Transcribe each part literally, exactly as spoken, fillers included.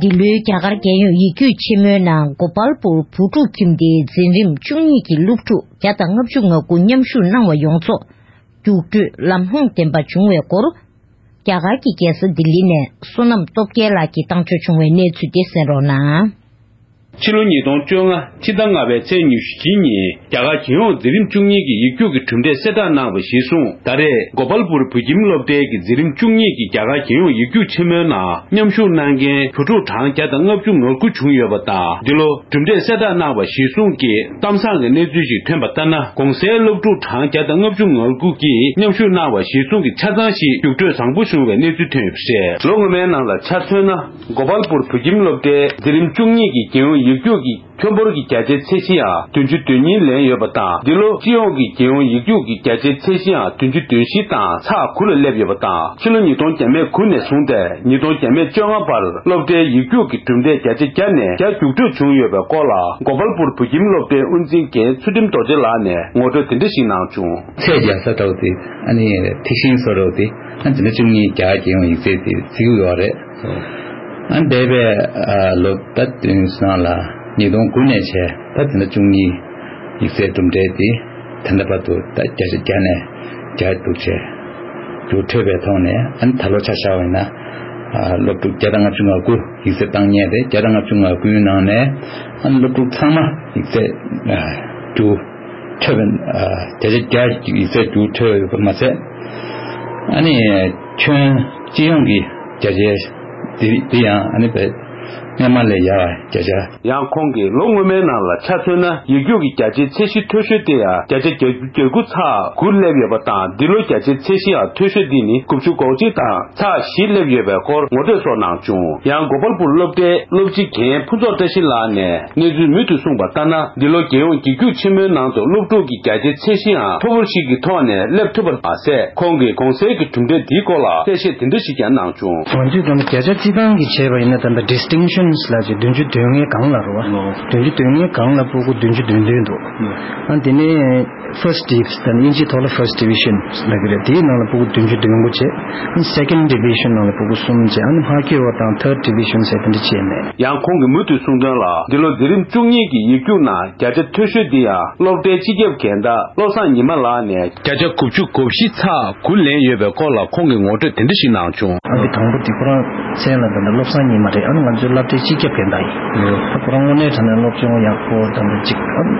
འདི་ལོའི་རྒྱ་གར་རྒྱལ་ཡོངས་ཡིག་རྒྱུགས་ཆེན་མོའི་ནང་གོ་པལ་པུར་བུ་ཕྲུག་ཁྱིམ་སྡེའི་འཛིན་རིམ་བཅུ་གཉིས་ཀྱི་སློབ་ཕྲུག་བརྒྱ་དང་ལྔ་བཅུ་ང་དགུ་མཉམ་ཞུགས་གནང་བ་ཡོངས་རྫོགས་རྒྱུགས་སྤྲོད་ལམ་ལྷོང་ལྡན་པ་བྱུང་བའི་སྐོར། རྒྱ་གར་གྱི་རྒྱལ་ས་ལྡི་ལི་ནས་བསོད་ནམས་སྟོབས་རྒྱལ་ལགས་ཀྱིས་བཏང་འབྱོར་བྱུང་བའི་གནས་ཚུལ་དེ་གསན་རོགས་གནང་། ཕྱི་ལོ་ཉིས་སྟོང་བཅོ་ལྔ་ཕྱི་ཟླ་ལྔ་པའི་ཚེས་ཉི་ཤུ་གཅིག་ཉིན་རྒྱ་གར་རྒྱལ་ཡོངས་འཛིན་རིམ་བཅུ་གཉིས་ཀྱི་ཡིག་རྒྱུགས་ཀྱི་གྲུབ་འབྲས་གསལ་བསྒྲགས་གནང་བ་གཞིར་བཟུང་། ད་རེས་གོ་པལ་པུར་བོད་ཁྱིམ་སློབ་གྲྭའི་གི་འཛིན་རིམ་བཅུ་གཉིས་ཀྱི་རྒྱ་གར་རྒྱལ་ཡོངས་ཡིག་རྒྱུགས་ཆེན་མོའི་ནང་མཉམ་ཞུགས་གནང་མཁན་བུ་ཕྲུག་གྲངས་བརྒྱ་དང་ལྔ་བཅུ་ང་དགུ་བྱུང་ཡོད་པ་དང་། འདི་ལོ་གྲུབ་འབྲས་གསལ་བསྒྲགས་གནང་བ་གཞིར་བཟུང་གི་གཏམ་བཟང་གི་གནས་ཚུལ་ཞིག་ཐོན་པ་ལྟར་ན། གོང་གསལ་སློབ་ཕྲུག་གྲངས་བརྒྱ་དང་ལྔ་བཅུ་ང་དགུ་གིས་མཉམ་ཞུགས་གནང་བ་གཞིར་བཟུང་གི་ཆ་ཚང་ཞིག་རྒྱུགས་སྤྲོད་བཟང་པོ་བྱུང་བའི་གནས་ཚུལ་ཐོན་ཡོད་པ་རེད། ལོ་སྔོན་མའི་ནང་ལ་ཆ་མཚོན་ན། གོ་པལ་པུར་བོད་ཁྱིམ་སློབ་གྲྭའི་འཛིན་རིམ་བཅུ་གཉིས་ཀྱི་རྒྱལ་ཡོངས་ཡིག་རྒྱུགས་ཀྱི་ཁྱོན་འབོར་གྱི་བརྒྱ་ཆའི་ཚད་གཞི་ཡང་བདུན་ཅུ་དོན་གཉིས་ལེན་ཡོད་པ་དང་། འདི་ལོ་སྤྱི་ཡོངས་ཀྱི་རྒྱལ་ཡོངས་ཡིག་རྒྱུགས་ཀྱི་བརྒྱ་ཆའི་ཚད་གཞི་ཡང་བདུན་ཅུ་དོན་བཞི་དང་ཚེག་དགུ་ལ་སླེབས་ཡོད་པ་དང་། ཕྱི་ལོ་ཉིས་སྟོང་བརྒྱ་མེད་དགུ་ནས་བཟུང་སྟེ་ཉིས་སྟོང་བརྒྱ་མེད་བཅོ་ལྔ་བར་སློབ་གྲྭའི་ཡིག་རྒྱུགས་ཀྱི་གྲུབ་འབྲས་བརྒྱ་ཆ་བརྒྱ་ནས་བརྒྱ་རྒྱུགས་སྤྲོད་བྱུང་ཡོད་པའི་སྐོར་ལ། གོ་པལ་པུར་བོད་ཁྱིམ་སློབ་གྲྭའི་དབུ་འཛིན་རྒན་ཚུལ་ཁྲིམས་རྡོ་རྗེ་ལགས་ནས་ངོ་སྤྲོད་དེ་འདྲ་ཞིག་གནང་བྱུང་། ཚད་བརྒྱ་ས་འདྲ་བོ་དེ། ཨ་ནི་ཐིག་ཤིང་བཟོ་འདྲ་བོ་དེ། ཨ་ནི་འཛིན་གྲྭ་བཅུ་གཉིས་རྒྱ་གར་རྒྱལ་ཡོངས་ཡིག་ཚད་དེ་བརྩི་གི་ཡོད་རེད། ཨ་ནི་འདས་པའི་ཨ་ལོ་ཟླ་བདུན་ནང་ལ་ཉིས་སྟོང་དགུ་ནས་བྱས། ད་འཛིན་གྲྭ་བཅུ་གཉིས་ཡིག་ཚད་གྲུབ་འབྲས་དེ་ད་ལྟ་བར་དུ་ད་བརྒྱ་ཆ་བརྒྱ་ནས་བརྒྱ་རྒྱུགས་བྱས། རྒྱུགས་འཕྲོད་པའི་ཐོག་ནས། ཨ་ནི་ད་ལོ་ཆ་བཞག་པ་ཡིན་ན། ཨ་སློབ་ཕྲུག་བརྒྱ་དང་ལྔ་བཅུ་ང་དགུ་ཡིག་ཚད་བཏང་མཁན་རེད། བརྒྱ་དང་ལྔ་བཅུ་ང་དགུའི་ནང་ནས། ཨ་ནི་སློབ་ཕྲུག་ཚང་མ་ཡིག་ཚད་ཨ་རྒྱུགས་འཕྲོད་པའི། ཨ་བརྒྱ་ཆ་བརྒྱ་ཡིག་ཚད་རྒྱུགས་འཕྲོད་ཡོད་པ་མ་ཟད། ཨ་ནི་ཁྱོན་སྤྱི་ཡོངས་ཀྱི་བརྒྱ་ཆའི་དེ་དེ་ཡང་ཨ་ནི་བས་སྔོན་མ་ལས་ཡག་བ་བརྒྱ་ཆ། ཡང་ཁོང་གིས་ལོ་སྔོན་མའི་ནང་ལ་ཆ་མཚོན་ན། ཡིག་རྒྱུགས་ཀྱི་བརྒྱ་ཆའི་ཚད་གཞི་མཐོ་ཤོས་དེ་ཡང་བརྒྱ་ཆ་བརྒྱད་ཅུ་གྱ་དགུ་ཚེག་དགུ་སླེབས་ཡོད་པ་དང་། འདི་ལོ་བརྒྱ་ཆའི་ཚད་གཞི་ཡང་མཐོ་ཤོས་འདི་ནི་དགུ་བཅུ་གོ་གཅིག་དང་ཚེག་བཞི་སླེབས་ཡོད་པའི་སྐོར་ངོ་སྤྲོད་སོགས་གནང་བྱུང་། ཡང་གོ་པལ་པུར་སློབ་གྲྭའི་སློབ་སྤྱི་རྒན་ཕུན་ཚོགས་བཀྲ་ཤིས་ལགས་ནས་གནས་ཚུལ་མུ་མཐུད་གསུངས་པ་ལྟར་ན། འདི་ལོ་རྒྱལ་ཡོངས་ཡིག་རྒྱུགས་ཆེན་མོའི་ནང་དུ་སློབ་ཕྲུག་གི་བརྒྱ་ཆའི་ཚད་གཞི་ཡང་མཐོ་པོ་ཞིག་གི་ཐོག་ནས་སླེབས་ཐུབ་པ་མ་ཟད། ཁོང་གིས་གོང་གསལ་གྱི་གྲུབ་འབྲས་འདིའི་སྐོར་ལ་གསལ་བཤད་དེ་འདྲ་ཞིག་ཀྱང་གནང་བྱུང་། ང་ཚོས་ད་ལྟ་བརྒྱ་ཆ་རྩིས་ཐང་གི་བྱས་པ་ཡིན་ན། ད་ལྟ་ཌི་སི་ཊིང་ཤན་ལབ་ཅིག་བདུན་ཅུ་དོན་ལྔའི་སྒང་ལ་རེད་བ། བདུན་ཅུ་དོན་ལྔའི་སྒང་ལ་སྤུ་གུ་བདུན་ཅུ་དོན་བདུན་འདུག་ཨ་དེ་ནས་ཕར་སི་ཊི་ཌི་བི་ཤན། ད་དབྱིན་ཇིའི་ཐོག་ལ་ཕར་སི་ཊི་ཌི་བི་ཤན་ལབ་ཀྱི་རེད། དེའི་ནང་ལ་སྤུ་གུ་བདུན་ཅུ་དོན་དགུ་བྱས། ཨ་སེ་ཀེན་ཌི་བི་ཤན་ནང་ལ་སྤུ་གུ་གསུམ་བྱས། ཨ་ནི་མ་འཁྱོལ་བ་དང་ཐར་ཌི་བི་ཤན་ཟེར་དེ་འདྲ་བྱས་ནས། ཡང་ཁོང་གིས་མུ་མཐུད་གསུངས་དོན་ལ། འདི་ལོ་འཛིན་རིམ་བཅུ་གཉིས་ཀྱི་ཡིག་རྒྱུགས་ནང་བརྒྱ་ཆ་མཐོ་ཤོས་འདི་ཡང་སློབ་གྲྭའི་སྤྱི་ཁྱབ་རྒན་བདག་བློ་བཟང་ཉི་མ་ལགས་ནས་བརྒྱ་ཆ་དགུ་བཅུ་གོ་བཞི་ཚེག་དགུ་ལེན་ཡོད་པའི་སྐོར་ལ་ཁོང་གིས་ངོ་སྤྲོད་དེ་འདྲ་ཞིག་གནང་བྱུང་། ཨ་ནི་དང་པོ་དེ་ཁོ་རང་མཚན་ལ་ད་ལྟ་བློ་བཟང་ཉི་མ་རེད། ཨ་ནི་ང་ཚོའི་སློབ་གྲྭའི་སྤྱི་ཁྱབ་རྒན་བདག་ཡིན། ད་ཁོ་རང་དངོས་གནས་དྲང་གནས་སློབ་སྦྱོང་ཡག་པོ་ད་ལྟ་ཅིག་ཨ་ད་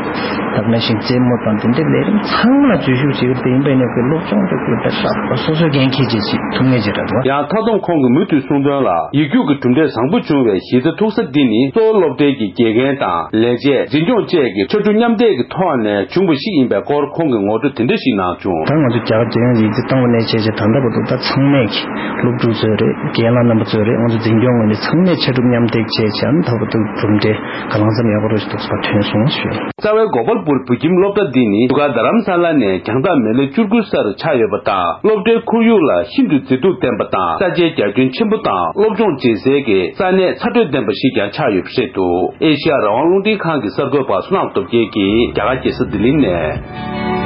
ག་ནང་བཞིན་རྩེད་མོ་དང་དེ་འདྲའི་ལས་རིམ་ཚང་མ་ལ་འཛུལ་ཞུགས་བྱེད་ཀྱི་དེ་ཡིན་པ་ཡིན་ན། ཁོའི་སློབ་སྦྱོང་དེ་ཁོས་ད་ཧྲག་པ་སོ་སོའི་འགན་འཁྱེར་བྱེད་ཅིག་ཐུབ་ངེས་ཅིག་རེད་འདུག་ཡང་མཐའ་བསྡོམས་ཁོང་གིས་མུ་མཐུད་གསུངས་དོན་ལ། ཡིག་རྒྱུགས་ཀྱི་གྲུབ་འབྲས་བཟང་པོ་བྱུང་བའི་གཞི་རྩ་ཐུག་ས་འདི་ནི་གཙོ་བོ་སློབ་གྲྭའི་གི་དགེ་རྒན་དང་ལས་བྱེད། འཛིན་སྐྱོང་བཅས་ཀྱི་ཕྱར་གྲུ་མཉམ་འདེགས་ཀྱི་ཐོག་ནས་བྱུང་བ་ཞིག་ཡིན་པའི་སྐོར་ཁོང་གིས་ངོ་སྤྲོད་དེ་འདྲ་ཞིག་གནང་བྱུང་། ད་ང་ཚོ་རྒྱ་གར་རྒྱལ་ཡོངས་ཡིག་ཚད་བཏང་བ་ནས་བྱས་བྱས་ད་ལྟ་བར་དུ་ད་ཚང་མས་ཀྱི་སློབ་ཕྲུག་ཚོ་རེད། རྒན་ལགས་རྣམ་པ་ཚོ་རེད། ང་ཚོ་འཛིན་སྐྱོང་ངོས་ནས་ཚང་མས་ཕྱར་གྲུ་མཉམ་འདེགས་བྱས་བྱས། ཨ་ནི་ད་བར་དུ་གྲུབ་འབྲས་གང་ལ་ཙམ་ཡག་པོ་རེད་ཞིག་ཐོགས་པ་ཐོན་སོང་ཞུ། རྩ་བའི་གོ་པལ་པུར་བོད་ཁྱིམ་སློབ་གྲྭ་འདི་ནི་འདི་ག་རྡ་རམ་ས་ལ་ནས་རྒྱང་ཐག་མི་ལེ་བཅུ་དགུ་སར་ཆགས་ཡོད་པ་དང་། སློབ་གྲྭའི་ཁོར་ཡུག་ལ་ཤིན་ཏུ་མཛེས་སྡུག་ལྡན་པ་དང་། ས་ཆའི་རྒྱ་ཁྱོན་ཆེན་པོ་དང་། སློབ་སྦྱོང་བྱེད་སའི་གི་ས་གནས་ཚ་དྲོད་ལྡན་པ་ཞིག་ཀྱང་ཆགས་ཡོད་པ་རེད་འདུག་ཨེ་ཤེ་ཡ་རང་དབང་རླུང་འཕྲིན་ཁང་གི་གསར་འགོད་པ་བསོད་ནམས་སྟོབས་རྒྱལ་གྱིས་རྒྱ་གར་རྒྱལ་ས་ལྡི་ལི་ནས།